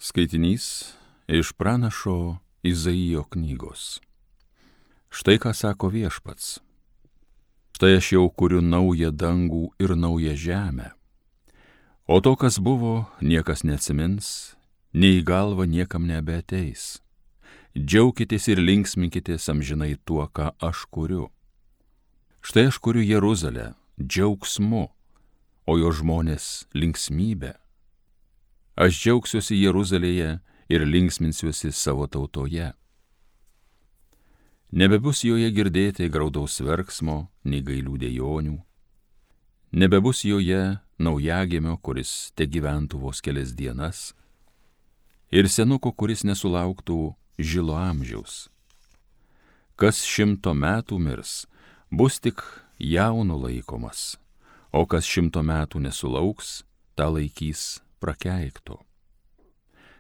Skaitinys iš pranašo Izaijo knygos. Štai ką sako Viešpats. Štai aš jau kuriu naują dangų ir naują žemę. O to, kas buvo, niekas neatsimins, nei į galvą niekam nebeateis. Džiaukitės ir linksminkitės amžinai tuo, ką aš kuriu. Štai aš kuriu Jeruzalę džiaugsmu, o jo žmonės linksmybę. Aš džiaugsiuosi Jeruzalėje ir linksminsiuosi savo tautoje. Nebebus joje girdėti graudaus verksmo, nei gailių dejonių. Nebebus joje naujagimio, kuris te gyventų vos kelias dienas, ir senuko, kuris nesulauktų žilo amžiaus. Kas 100 metų mirs, bus tik jaunu laikomas, o kas 100 metų nesulauks, tą laikys prakeikto.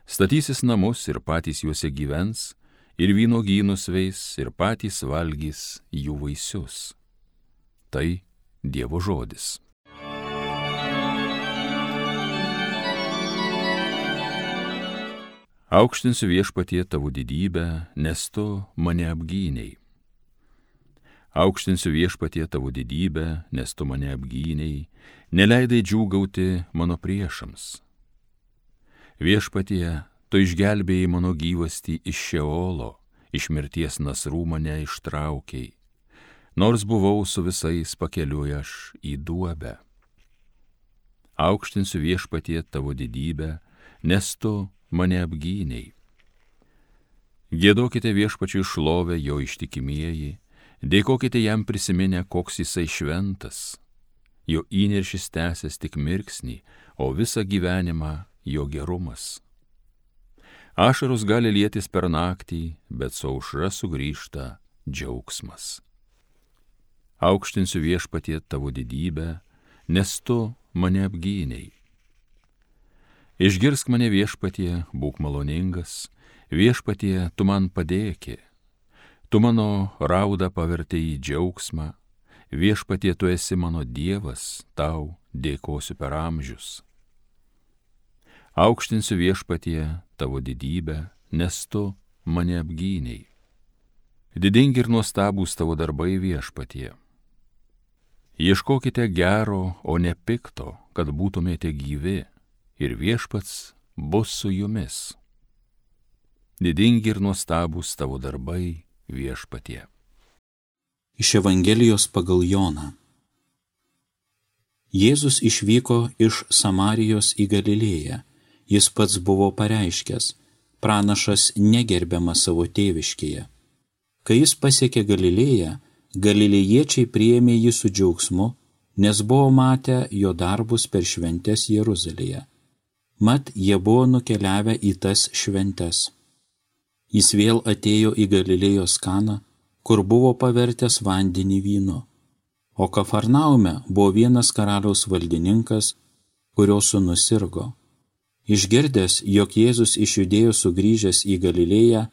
Statysis namus ir patys juose gyvens, ir vynuogynus veis, ir patys valgys jų vaisius. Tai Dievo žodis. Aukštinsiu Viešpatie tavo didybę, nes tu mane apgynei. Aukštinsiu Viešpatie tavo didybę, nes tu mane apgynei, neleidai džiūgauti mano priešams. Viešpatie, tu išgelbėjai mano gyvastį iš Šeolo, iš mirties nasrų mane ištraukei, nors buvau su visais pakeliui aš į duobę. Aukštinsiu Viešpatie tavo didybę, nes tu mane apgynei. Giedokite Viešpačiui šlovę jo ištikimieji, dėkokite jam prisiminę, koks jisai šventas. Jo įniršis tęsės tik mirksnį, o visą gyvenimą jo gerumas. Ašaros gali lietis per naktį, bet su aušra sugrįžta džiaugsmas. Aukštinsiu Viešpatie tavo didybę, nes tu mane apgynei. Išgirsk mane Viešpatie, būk maloningas, Viešpatie, tu man padėki. Tu mano raudą pavertei į džiaugsmą, Viešpatie, tu esi mano Dievas, tau dėkosiu per amžius. Aukštinsiu Viešpatie tavo didybę, nes tu mane apgynei. Didingi ir nuostabūs tavo darbai Viešpatie. Ieškokite gero, o ne pikto, kad būtumėte gyvi, ir Viešpats bus su jumis. Didingi ir nuostabūs tavo darbai Viešpatie. Iš Evangelijos pagal Joną. Jėzus išvyko iš Samarijos į Galilėją. Jis pats buvo pareiškęs, pranašas negerbiamas savo tėviškėje. Kai jis pasiekė Galilėją, galilėjiečiai priėmė jį su džiaugsmu, nes buvo matę jo darbus per šventes Jeruzalėje. Mat jie buvo nukeliavę į tas šventes. Jis vėl atėjo į Galilėjos Kaną, kur buvo pavertęs vandenį vynu. O Kafarnaume buvo vienas karaliaus valdininkas, kurio sūnus sirgo. Išgirdęs, jog Jėzus iš Judėjos sugrįžęs į Galilėją,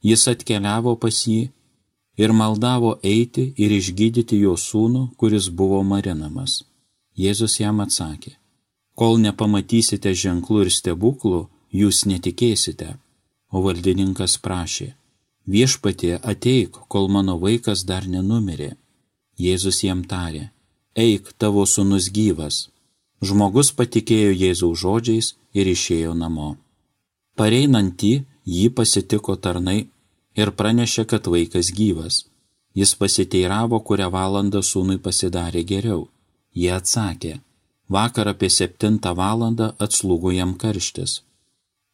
jis atkeliavo pas jį ir maldavo eiti ir išgydyti jo sūnų, kuris buvo marinamas. Jėzus jam atsakė, kol nepamatysite ženklų ir stebuklų, jūs netikėsite. O valdininkas prašė, Viešpatie, ateik, kol mano vaikas dar nenumirė. Jėzus jam tarė, eik, tavo sūnus gyvas. Žmogus patikėjo Jėzaus žodžiais ir išėjo namo. Pareinantį jį pasitiko tarnai ir pranešė, kad vaikas gyvas. Jis pasiteiravo, kurią valandą sūnui pasidarė geriau. Jie atsakė, vakar apie 7 valandą atslūgo jam karštis.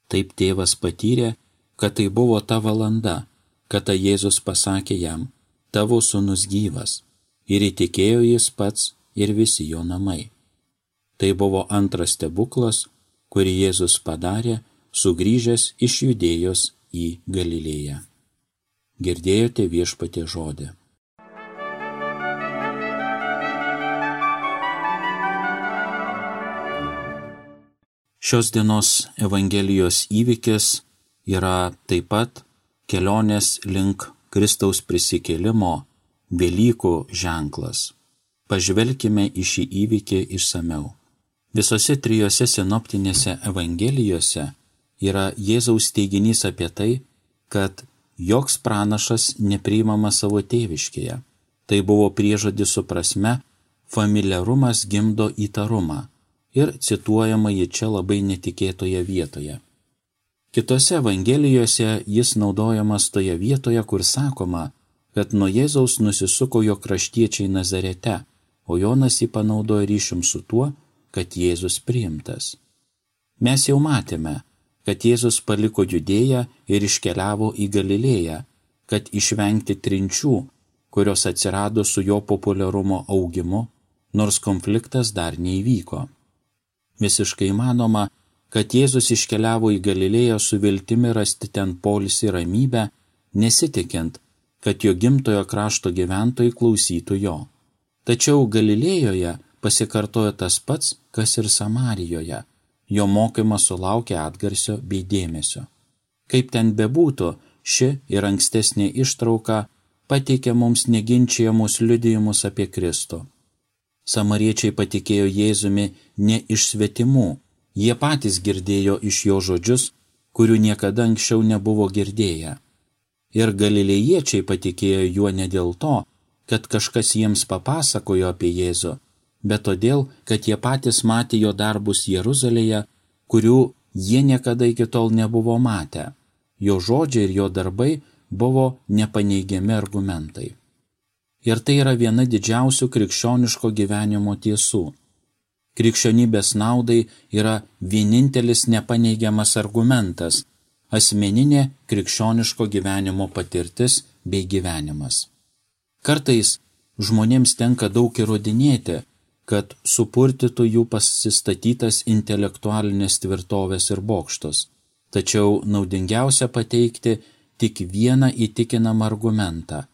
Taip tėvas patyrė, kad tai buvo ta valanda, kada Jėzus pasakė jam, tavo sūnus gyvas. Ir įtikėjo jis pats ir visi jo namai. Tai buvo antras stebuklas, kurį Jėzus padarė, sugrįžęs iš Judėjos į Galilėją. Girdėjote Viešpatie žodį. Šios dienos Evangelijos įvykis yra taip pat kelionės link Kristaus prisikėlimo Velykų ženklas. Pažvelkime į šį įvykį išsamiau. Visose 3 sinoptinėse Evangelijose yra Jėzaus teiginys apie tai, kad joks pranašas nepriimamas savo tėviškėje. Tai buvo priežodis su prasme familiarumas gimdo įtarumą ir cituojama ji čia labai netikėtoje vietoje. Kitose evangelijose jis naudojamas toje vietoje, kur sakoma, kad nuo Jėzaus nusisuko jo kraštiečiai Nazarete, o Jonas jį panaudojo ryšium su tuo, kad Jėzus priimtas. Mes jau matėme, kad Jėzus paliko Judėją ir iškeliavo į Galilėją, kad išvengti trinčių, kurios atsirado su jo populiarumo augimu, nors konfliktas dar neįvyko. Visiškai įmanoma, kad Jėzus iškeliavo į Galilėją su viltimi rasti ten poilsį ramybę, nesitikint, kad jo gimtojo krašto gyventojai klausytų jo. Tačiau Galilėjoje pasikartojo tas pats, kas ir Samarijoje. Jo mokymas sulaukė atgarsio bei dėmesio. Kaip ten bebūtų, ši ir ankstesnė ištrauka pateikė mums neginčiamus liudijimus apie Kristų. Samariečiai patikėjo Jėzumi ne iš svetimų, jie patys girdėjo iš jo žodžius, kurių niekada anksčiau nebuvo girdėję. Ir galilėjiečiai patikėjo juo ne dėl to, kad kažkas jiems papasakojo apie Jėzų, bet todėl, kad jie patys matė jo darbus Jeruzalėje, kurių jie niekada iki tol nebuvo matę. Jo žodžiai ir jo darbai buvo nepaneigiami argumentai. Ir tai yra viena didžiausių krikščioniško gyvenimo tiesų. Krikščionybės naudai yra vienintelis nepaneigiamas argumentas – asmeninė krikščioniško gyvenimo patirtis bei gyvenimas. Kartais žmonėms tenka daug įrodinėti, kad supurtytų jų pasistatytas intelektualinės tvirtovės ir bokštus. Tačiau naudingiausia pateikti tik vieną įtikinamą argumentą.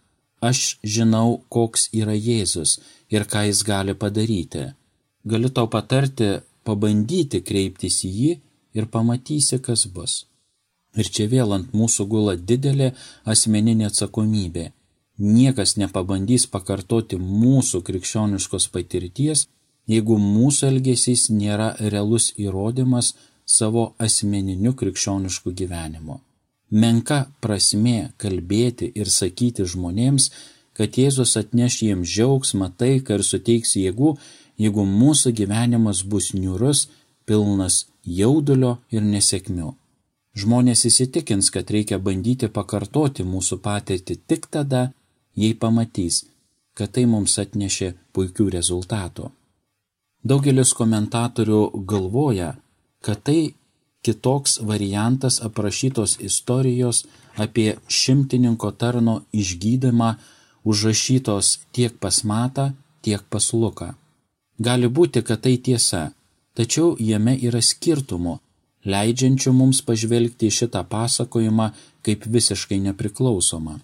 Aš žinau, koks yra Jėzus ir ką jis gali padaryti. Galiu tau patarti, pabandyti kreiptis į jį ir pamatysi, kas bus. Ir čia vėl ant mūsų gula didelė asmeninė atsakomybė. Niekas nepabandys pakartoti mūsų krikščioniškos patirties, jeigu mūsų elgesys nėra realus įrodymas savo asmeniniu krikščionišku gyvenimu. Menka prasmė kalbėti ir sakyti žmonėms, kad Jėzus atneš jiems džiaugsmą, taiką ir suteiks jėgų, jeigu mūsų gyvenimas bus niūrus, pilnas jaudulio ir nesėkmių. Žmonės įsitikins, kad reikia bandyti pakartoti mūsų patirtį tik tada, jei pamatys, kad tai mums atnešė puikių rezultatų. Daugelis komentatorių galvoja, kad tai kitoks variantas aprašytos istorijos apie šimtininko tarno išgydymą užrašytos tiek pas Matą, tiek pas Luką. Gali būti, kad tai tiesa, tačiau jame yra skirtumų, leidžiančių mums pažvelgti į šitą pasakojimą kaip visiškai nepriklausomą.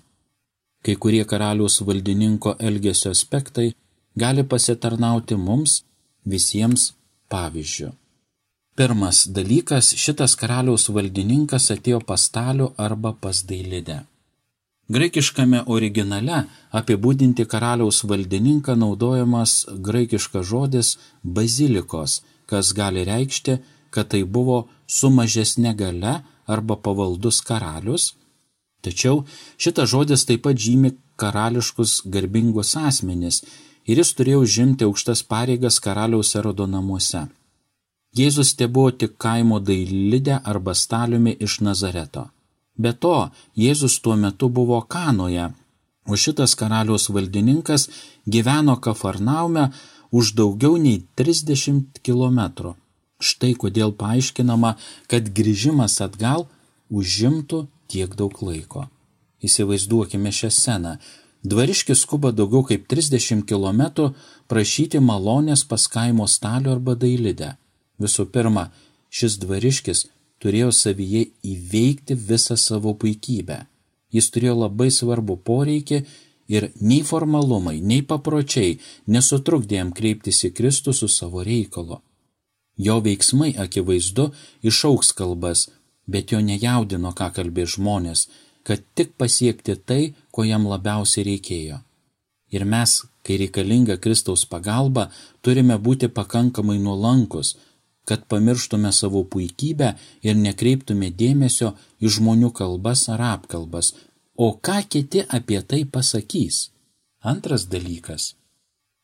Kai kurie karaliaus valdininko elgesio aspektai gali pasitarnauti mums visiems pavyzdžiu. Pirmas dalykas, šitas karaliaus valdininkas atėjo pas Stalių arba pas Dailidę. Graikiškame originale apibūdinti karaliaus valdininką naudojamas graikiškas žodis bazilikos, kas gali reikšti, kad tai buvo su mažesne galia arba pavaldus karalius, tačiau šitas žodis taip pat žymi karališkus garbingus asmenis ir jis turėjo užimti aukštas pareigas karaliaus Erodo namuose. Jėzus tebuvo tik kaimo Dailidę arba Staliumi iš Nazareto. Be to, Jėzus tuo metu buvo Kanoje, o šitas karaliaus valdininkas gyveno Kafarnaume už daugiau nei 30 kilometrų. Štai kodėl paaiškinama, kad grįžimas atgal užimtų tiek daug laiko. Įsivaizduokime šią sceną. Dvariškis skuba daugiau kaip 30 kilometrų prašyti malonės pas kaimo Stalių arba Dailidę. Visų pirma, šis dvariškis turėjo savyje įveikti visą savo puikybę. Jis turėjo labai svarbų poreikį ir nei formalumai, nei papročiai nesutrukdė jam kreiptis į Kristų su savo reikalu. Jo veiksmai akivaizdu išaugs kalbas, bet jo nejaudino, ką kalbės žmonės, kad tik pasiekti tai, ko jam labiausiai reikėjo. Ir mes, kai reikalinga Kristaus pagalba, turime būti pakankamai nuolankus, kad pamirštume savo puikybę ir nekreiptume dėmesio į žmonių kalbas ar apkalbas, o ką kiti apie tai pasakys. Antras dalykas.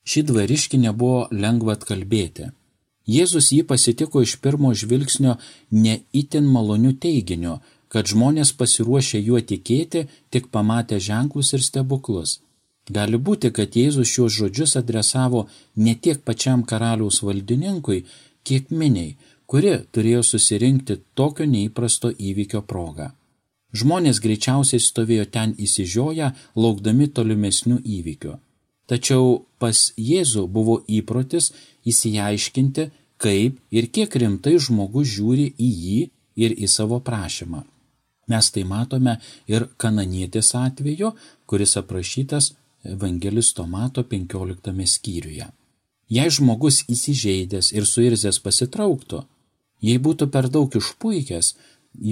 Šį dvariškį nebuvo lengva atkalbėti. Jėzus jį pasitiko iš pirmo žvilgsnio ne itin maloniu teiginiu, kad žmonės pasiruošę juo tikėti, tik pamatę ženklus ir stebuklus. Gali būti, kad Jėzus šios žodžius adresavo ne tiek pačiam karaliaus valdininkui, kiek miniai, kuri turėjo susirinkti tokio neįprasto įvykio progą. Žmonės greičiausiai stovėjo ten įsižioję, laukdami tolimesnių įvykių. Tačiau pas Jėzų buvo įprotis įsiaiškinti, kaip ir kiek rimtai žmogus žiūri į jį ir į savo prašymą. Mes tai matome ir kananietės atveju, kuris aprašytas Evangelisto Mato 15 skyriuje. Jei žmogus įsižeidęs ir suirzęs pasitrauktų, jei būtų per daug išpuikęs,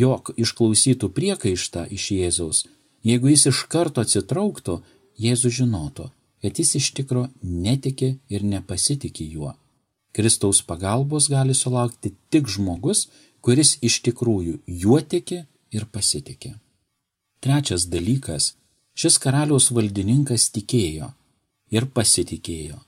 jog išklausytų priekaištą iš Jėzaus, jeigu jis iš karto atsitrauktų, Jėzus žinotų, kad jis iš tikro netiki ir nepasitiki juo. Kristaus pagalbos gali sulaukti tik žmogus, kuris iš tikrųjų juo tiki ir pasitiki. Trečias dalykas. Šis karaliaus valdininkas tikėjo ir pasitikėjo.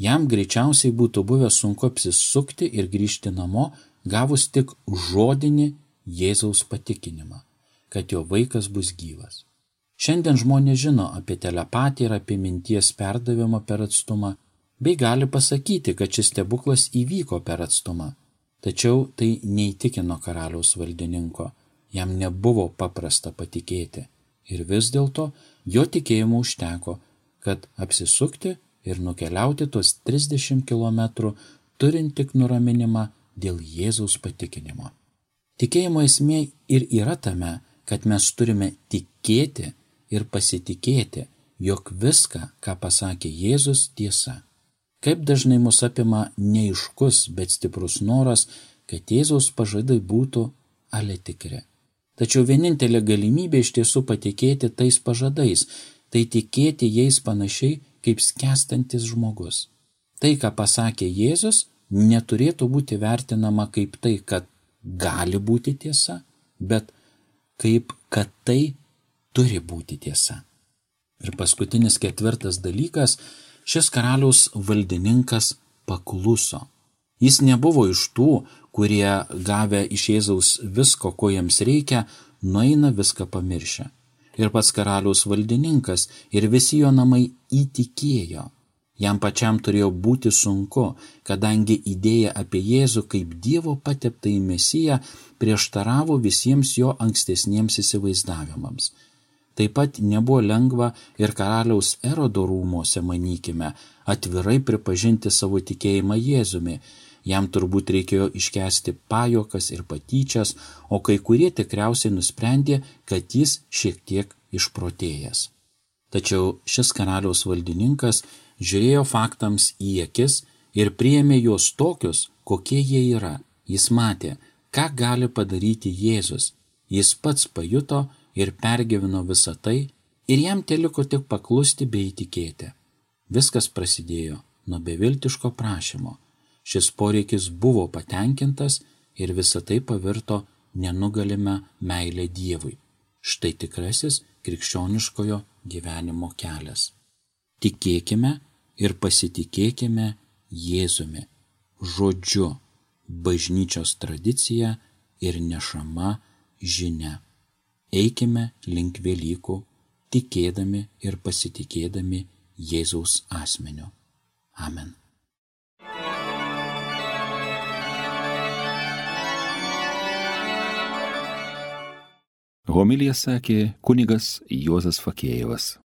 Jam greičiausiai būtų buvę sunku apsisukti ir grįžti namo, gavus tik žodinį Jėzaus patikinimą, kad jo vaikas bus gyvas. Šiandien žmonės žino apie telepatiją ir apie minties perdavimą per atstumą, bei gali pasakyti, kad šis stebuklas įvyko per atstumą. Tačiau tai neįtikino karaliaus valdininko, jam nebuvo paprasta patikėti. Ir vis dėlto jo tikėjimo užteko, kad apsisukti ir nukeliauti tuos 30 kilometrų, turint tik nuraminimą dėl Jėzaus patikinimo. Tikėjimo esmė ir yra tame, kad mes turime tikėti ir pasitikėti, jog viską, ką pasakė Jėzus, tiesa. Kaip dažnai mus apima neaiškus, bet stiprus noras, kad Jėzaus pažadai būtų ale tikri. Tačiau vienintelė galimybė iš tiesų patikėti tais pažadais, tai tikėti jais panašiai kaip skęstantis žmogus. Tai, ką pasakė Jėzus, neturėtų būti vertinama kaip tai, kad gali būti tiesa, bet kaip kad tai turi būti tiesa. Ir paskutinis ketvirtas dalykas, šis karaliaus valdininkas pakluso. Jis nebuvo iš tų, kurie gavę iš Jėzaus visko, ko jiems reikia, nueina viską pamiršę. Ir pats karaliaus valdininkas ir visi jo namai įtikėjo. Jam pačiam turėjo būti sunku, kadangi idėja apie Jėzų kaip Dievo pateptąjį Mesiją prieštaravo visiems jo ankstesniems įsivaizdavimams. Taip pat nebuvo lengva ir karaliaus Erodo rūmose, manykime, atvirai pripažinti savo tikėjimą Jėzumi. Jam turbūt reikėjo iškęsti pajuokas ir patyčias, o kai kurie tikriausiai nusprendė, kad jis šiek tiek išprotėjęs. Tačiau šis karaliaus valdininkas žiūrėjo faktams į akis ir priėmė juos tokius, kokie jie yra. Jis matė, ką gali padaryti Jėzus. Jis pats pajuto ir pergyveno visą tai ir jam teliko tik paklusti bei įtikėti. Viskas prasidėjo nuo beviltiško prašymo. Šis poreikis buvo patenkintas ir visa tai pavirto nenugalime meilę Dievui. Štai tikrasis krikščioniškojo gyvenimo kelias. Tikėkime ir pasitikėkime Jėzumi, žodžiu, bažnyčios tradicija ir nešama žinia. Eikime link Velykų, tikėdami ir pasitikėdami Jėzaus asmeniu. Amen. Homiliją sakė kunigas Juozas Fakėjevas.